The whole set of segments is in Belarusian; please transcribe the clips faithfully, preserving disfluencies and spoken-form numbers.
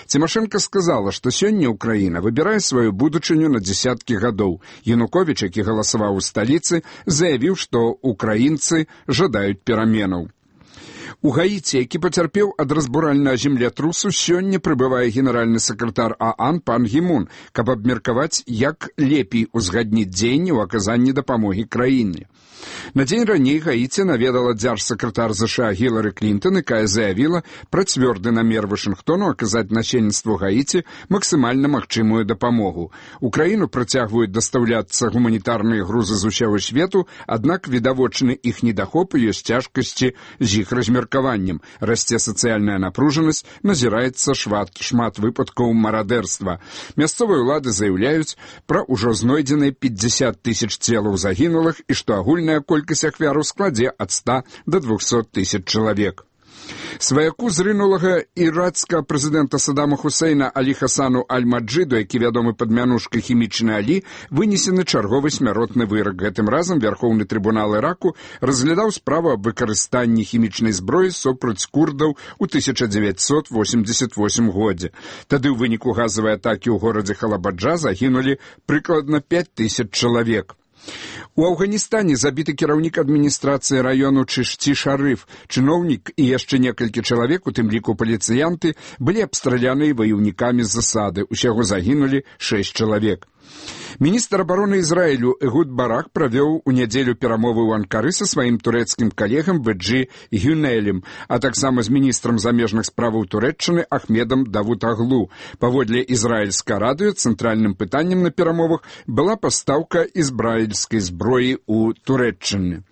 Цімашэнка сказала, што сёння Украіна выбірае сваю будучыню на дзесяткі гадоў. Януковіч, які галасаваў у сталіцы, заявіў, што украінцы жадаюць пераменаў. У Гаіці, які пацярпеў ад разбуральнага землятрусу, сёння прыбывае генеральны сакратар ААН пан Гі Мун, каб абмеркаваць, як лепей узгадніць дзеянні ў аказанні дапамогі краіне. На дзень раней Гаіці наведала дзяржсакратар ЗША Гілары Клінтон, якая заявіла пра цвёрды намер Вашынгтону аказаць насельніцтву Гаіці максімальна магчымую дапамогу. У краіну працягваюць дастаўляцца гуманітарныя грузы з усяго свету, аднак відавочны іх недахоп і ёсць цяжкасці з іх размеркаваннем. Расце сацыяльная напружанасць, назіраецца шмат, шмат выпадкаў марадэрства. Мясцовыя ўлады заяўляюць пра ўжо знойдзеныя пятьдесят тысяч целаў загінулых і што агульная колькасць ахвяраў складзе ад ста да двухсот тысяч чалавек. Сваяку зрынулага ірацкага прэзідэнта Саддама Хусейна Алі Хасану Аль-Маджыду, які вядомы пад мянушкай хімічны Алі, вынесены чарговы смяротны вырак. Гэтым разам Вярхоўны трыбунал Іраку разглядаў справу аб выкарыстанні хімічнай зброі супраць курдаў у тысяча дзевяцьсот восемьдесят восьмым годзе. Тады ў выніку газавай атакі ў горадзе Халабаджа загінулі прыкладна пяць тысяч чалавек. У Афганістане забіты кіраўнік адміністрацыі раёну Чышці-Шарыф. Чыноўнік і яшчэ некалькі чалавек, у тым ліку паліцыянты, былі абстраляныя ваяўнікамі з засады. Усяго загінулі шэсць чалавек. Міністр абароны Ізраілю Эгуд Барак правёў у нядзелю перамовы ў Анкары са сваім турэцкім калегам Бэджы Гюнелем, а таксама з міністрам замежных справаў Турэччыны Ахмедам Давутаглу. Паводле ізраільскага радыё цэнтральным пытаннем на перамовах была пастаўка ізраільскай зброі ў Турэччыны.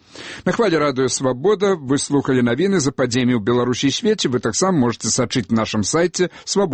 На хвале радыё «Свабода» вы слухали навіны за падзеямі ў Беларусі і свеце. Вы таксама можете сачыць на нашым сайце «Свабода».